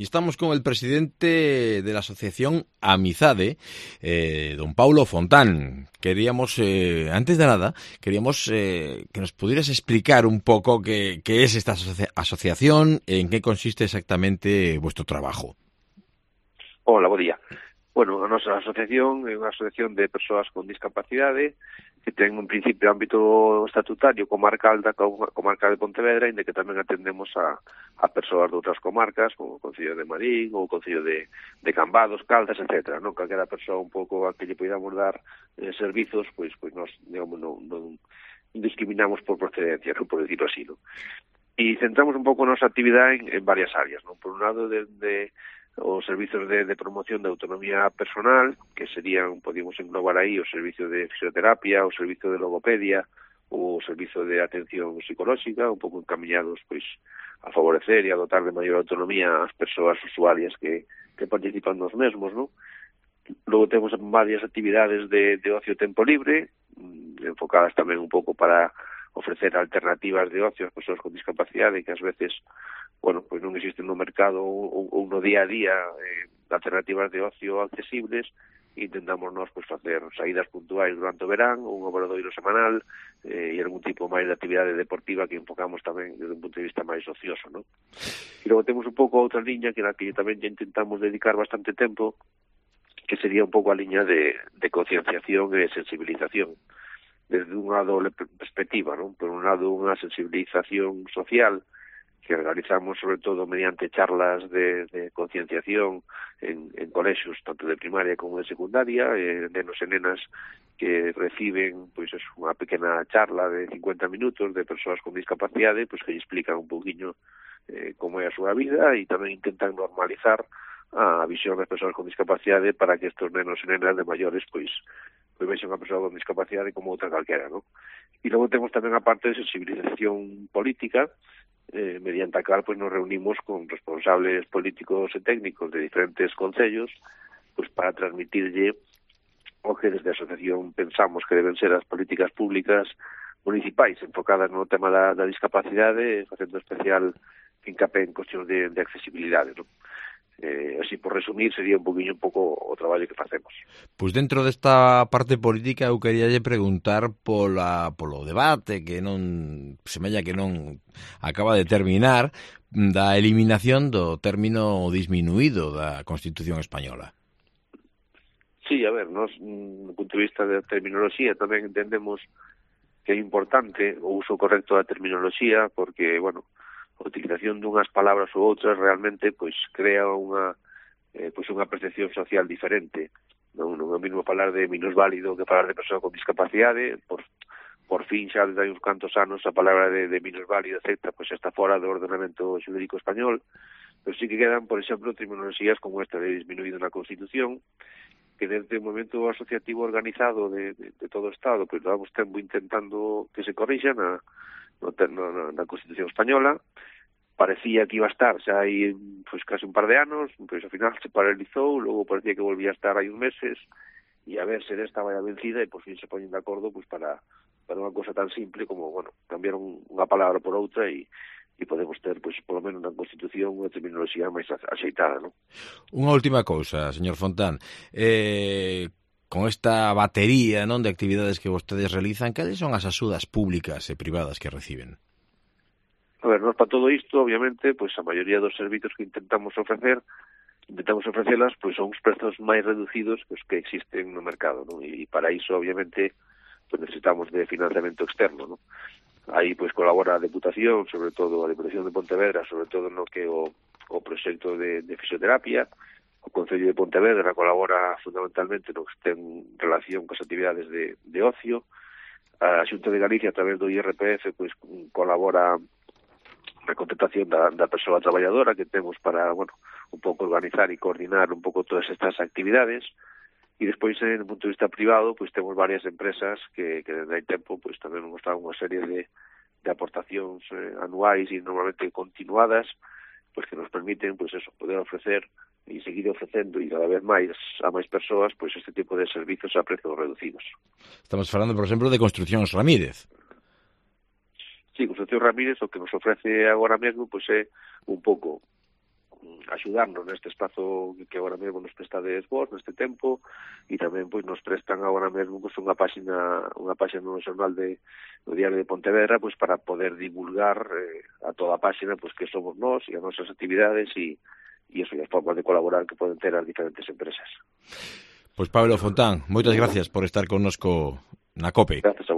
Y estamos con el presidente de la asociación Amizade, don Paulo Fontán. Queríamos, antes de nada, que nos pudieras explicar un poco qué es esta asociación, en qué consiste exactamente vuestro trabajo. Hola, bo día. Bueno, a nosa asociación é unha asociación de persoas con discapacidade que ten un principio ámbito estatutario comarcal da comarca de Pontevedra, inda que tamén atendemos a persoas de outras comarcas, como o Concello de Marín ou o Concello de Cambados, Caldas, etc. Non calquera persoa un pouco a que lle podamos dar servizos, pois nos, digamos, non discriminamos por procedencia, non por decirlo así, non? E centramos un pouco a nosa actividade en varias áreas, non? Por un lado, de os servizos de promoción de autonomía personal, que serían, podíamos englobar aí, o servicio de fisioterapia, o servicio de logopedia, o servicio de atención psicolóxica, un pouco encaminhados pois a favorecer e a dotar de maior autonomía ás persoas usuarias que participan nos mesmos, non? Logo temos varias actividades de ocio e tempo libre, enfocadas tamén un pouco para ofrecer alternativas de ocio ás persoas con discapacidade que ás veces, bueno, pois non existen no mercado ou no día a día alternativas de ocio accesibles. Intentamos nós pois facer saídas puntuais durante o verán, un obradoiro semanal e algún tipo máis de actividade deportiva que enfocamos tamén desde un punto de vista máis ocioso, non? E logo temos un pouco outra liña que na que tamén ya intentamos dedicar bastante tempo, que sería un pouco a liña de concienciación e sensibilización desde unha doble perspectiva, non? Por un lado, unha sensibilización social que organizamos sobre todo mediante charlas de concienciación en colexios tanto de primaria como de secundaria, nenos e nenas que reciben pois unha pequena charla de 50 minutos de persoas con discapacidade, pois que lle explican un pouquiño como é a súa vida e tamén intentan normalizar a visión das persoas con discapacidade para que estes nenos e nenas de maiores pois vexen a persoa con discapacidade como outra calquera, non? E logo temos tamén a parte de sensibilización política, mediante a cal pois nos reunimos con responsables políticos e técnicos de diferentes concellos pois para transmitirlle o que desde a asociación pensamos que deben ser as políticas públicas municipais enfocadas no tema da discapacidade, facendo especial fincapé en cuestións de accesibilidade, non? Así, por resumir, sería un pouco o traballo que facemos. Pois dentro desta parte política eu queríalle preguntar polo debate que non semella que non acaba de terminar da eliminación do término disminuído da Constitución española. Sí, a ver, nós, do punto de vista da terminoloxía, tamén entendemos que é importante o uso correcto da terminoloxía, porque, bueno, a utilización dunhas palabras ou outras realmente pois crea unha percepción social diferente. Non é o mesmo falar de minusválido que falar de persoa con discapacidade. Por fin, xa desde hai uns cantos anos, a palabra de minusválido, etc., pois está fora do ordenamento xurídico español, pero sí que quedan, por exemplo, terminoloxías como esta de disminuído na Constitución, que desde o momento asociativo organizado de todo o Estado, pois vamos tempo intentando que se corrixa na Constitución española. Parecía que iba a estar xa hai pois case un par de anos, pois ao final se paralizou, logo parecía que volvía a estar hai uns meses, e a ver se desta vai a vencida e por fin se poñen de acordo pois para unha cosa tan simple como, bueno, cambiar unha palabra por outra e podemos ter, pois, polo menos na Constitución unha terminoloxía máis axeitada, non? Unha última cousa, señor Fontán. Con esta batería, non, de actividades que vostedes realizan, cales son as axudas públicas e privadas que reciben? A ver, nós para todo isto, obviamente, pois a maioría dos servizos que intentamos ofrecelas, pois son os prezos máis reducidos que os que existen no mercado, non? E para iso, obviamente, pois necesitamos de financiamento externo, non? Aí, pois, colabora a Deputación, sobre todo a Deputación de Pontevedra, sobre todo no que o proxecto de fisioterapia. O Concello de Pontevedra colabora fundamentalmente no que ten relación con as actividades de ocio. A Xunta de Galicia, a través do IRPF, pois colabora na contratación da persoa traballadora que temos para, bueno, un pouco organizar e coordinar un pouco todas estas actividades. E despois, no punto de vista privado, pois temos varias empresas que desde hai tempo pois tamén nos dan unha serie de aportacións anuais e normalmente continuadas, pois que nos permiten, pois eso, poder ofrecer e seguir ofrecendo e cada vez máis a máis persoas pois este tipo de servizos a prezos reducidos. Estamos falando, por exemplo, de Construcións Ramírez. Sí, Construcción Ramírez o que nos ofrece agora mesmo pois é un pouco axudarnos neste espazo que agora mesmo nos prestades vos neste tempo, e tamén pois nos prestan agora mesmo pois unha páxina no xornal do Diario de Pontevedra pois para poder divulgar a toda a páxina pois que somos nós e as nosas actividades e as formas de colaborar que poden ter as diferentes empresas. Pois Pablo Fontán, moitas gracias por estar connosco na COPE. Gracias a